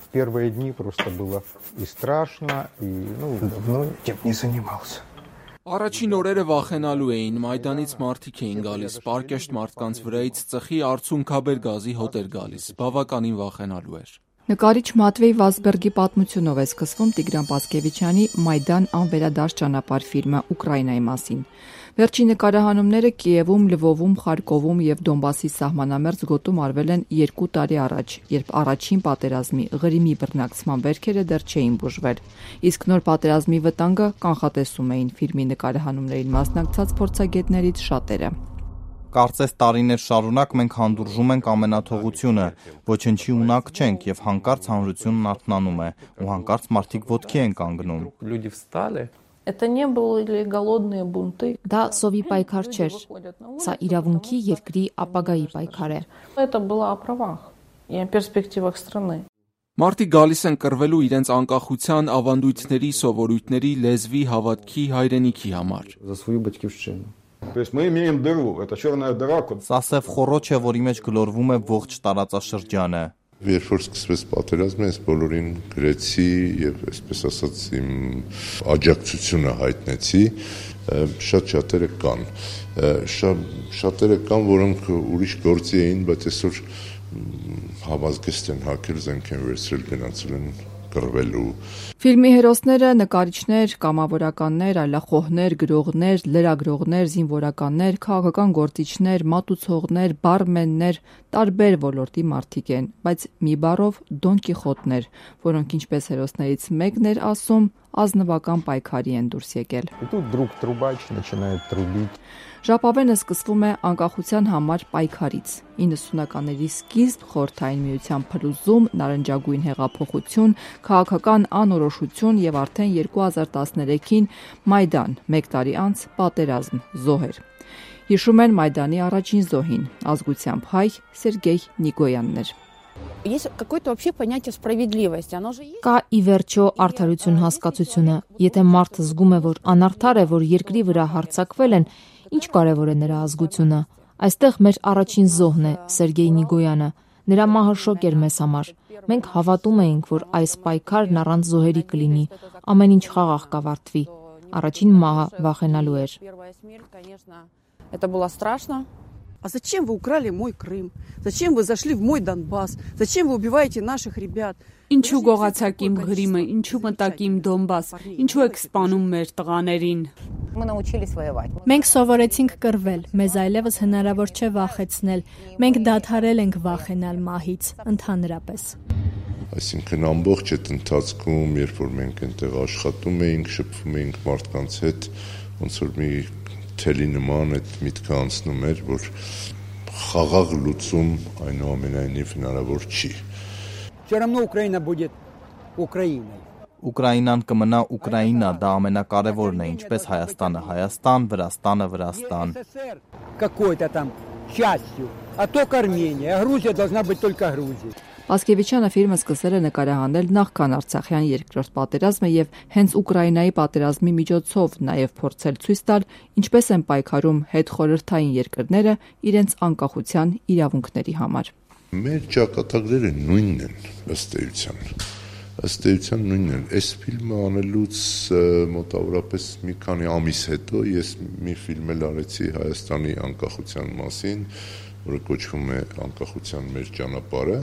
В первые дни просто было и страшно, и давно этим не занимался. Առաջին օրերը վախենալու էին, Մայդանից մարդիկ էին գալիս, պարկեշտ մարդկանց վրայից ծխի արցունքաբեր գազի հոտ էր գալիս, բավականին վախենալու էր։ Նկարիչ Մատվեյ Վազբերգի պատմությունով է սկսվում Տիգրան Պասկևիչյանի «Մայդան անվերադարձ ճանապարհ» ֆիլմը Ուկրաինայի մասին։ Վերջին նկարահանումները Կիևում, Լվովում, Խարկովում եւ Դոնբասի սահմանամերձ գոտում արվել են 2 տարի առաջ, երբ առաջին պատերազմի Ղրիմի բռնակցման վերքերը դեռ չէին բուժվել։ Իսկ նոր պատերազմի վտանգը կանխատեսում էին ֆիլմի նկարահանումներին մասնակցած փորձագետներից շատերը։ Կարծես տարիներ շարունակ մենք հանդուրժում ենք ամենաթողությունը, ոչնչի ունակ չենք եւ հանկարծ հանրությունն արթնանում է, ու հանկարծ մարդիկ ոտքի են կանգնում։ Դա սովի պայքար չէր, սա իրավունքի երկրի ապագայի պայքար է։ Մարդիկ գալիս են կռվելու իրենց անկախության, ավանդույթների, սովորույթների, լեզվի, հավատքի, հայրենիքի համար։ Սա սև խոռոչ է, որի մեջ գլորվում է ողջ տարածաշրջանը։ Երբ որ սկսվեց պատերազմը, ես բոլորին գրեցի եւ այսպես ասած իմ աջակցությունը հայտնեցի, շատ-շատերը կան, շատերը կան, որոնք ուրիշ գործի էին, բայց այսօր հավազգեստ են հակել, զենք են վերցրել, գնացել են կռվելու։ Ֆիլմի հերոսները նկարիչներ, կամավորականներ, այլախոհներ, գրողներ, լրագրողներ, զինվորականներ, քաղաքական գործիչներ, մատուցողներ, բարմեններ, տարբեր ոլորտի մարդիկ են, բայց մի բառով Դոն Կիխոտներ, որոնք ինչպես հերոսներից մեկն էր ասում, ազնվական պայքարի են դուրս եկել։ Ժապավենը սկսվում է անկախության համար պայքարից։ 90-ականների սկիզբ, Խորհրդային Միության փլուզում, նարնջագույն հեղափոխություն, քաղաքական անորոշություն եւ արդեն 2013-ին Մայդան, 1 տարի անց պատերազմ, զոհեր։ Հիշում են Մայդանի առաջին զոհին, ազգությամբ հայ Սերգեյ Նիկոյանն էր։ Կա ի վերջո արդարություն հասկացությունը, եթե մարդը զգում է, որ անարդար է, որ երկրի վրա հարձակվել են, ինչ կարևոր է նրա ազգությունը։ Այստեղ մեր առաջին զոհն է Սերգեյ Նիկոյանը, նրա մահը շոկ էր մեզ համար։ Մենք հավատում էինք, որ այս պայքարն առանց զոհերի կլինի, ամեն ինչ խաղաղ կավարտվի։ Առաջին մահը վախենալու էր։ А зачем вы украли мой Крым? Зачем вы зашли в мой Донбасс? Зачем вы убиваете наших ребят? Ինչու գողացաք իմ Ղրիմը, ինչու մտաք իմ Դոնբաս, ինչու եք սպանում մեր տղաներին։ Մենք սովորեցինք կռվել, մեզ այլևս հնարավոր չէ վախեցնել։ Մենք դադարել ենք վախենալ մահից, ընդհանրապես։ Այսինքն ամբողջ այդ ընթացքում, երբ որ մենք այնտեղ աշխատում էինք, շփվում էինք մարդկանց հետ, ոնց որ մի թելի նման այդ միտքը անցնում էր, որ խաղաղ լուծում այնուամենայնիվ հնարավոր չի։ Ուկրաինան կմնա Ուկրաինա, դա ամենակարևորն է, ինչպես Հայաստանը, Հայաստան, Վրաստանը, Վրաստան։ Պասկևիչյանը ֆիլմը սկսել է նկարահանել նախքան Արցախյան երկրորդ պատերազմը եւ հենց Ուկրաինայի պատերազմի միջոցով նաեւ փորձել ցույց տալ, ինչպես են պայքարում հետխորհրդային երկրները իրենց անկախության իրավունքների համար։ Մեր ճակատագրերը նույնն են ըստ էության նույնն են։ Այս ֆիլմը անելուց մոտավորապես մի քանի ամիս հետո ես մի ֆիլմ էլ արեցի Հայաստանի անկախության մասին, որը կոչվում է Անկախության մեր ճանապարհը։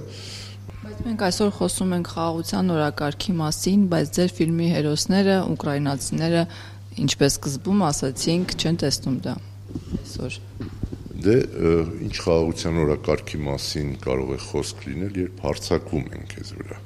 Բայց մենք այսօր խոսում ենք խաղաղության օրակարգի մասին, բայց ձեր ֆիլմի հերոսները, ուկրաինացիները, ինչպես սկզբում ասացինք, չեն տեսնում դա այսօր։ Դե ինչ խաղաղության օրակարգի մասին կարող է խոսք լինել, երբ հարձակվում են քեզ վրա։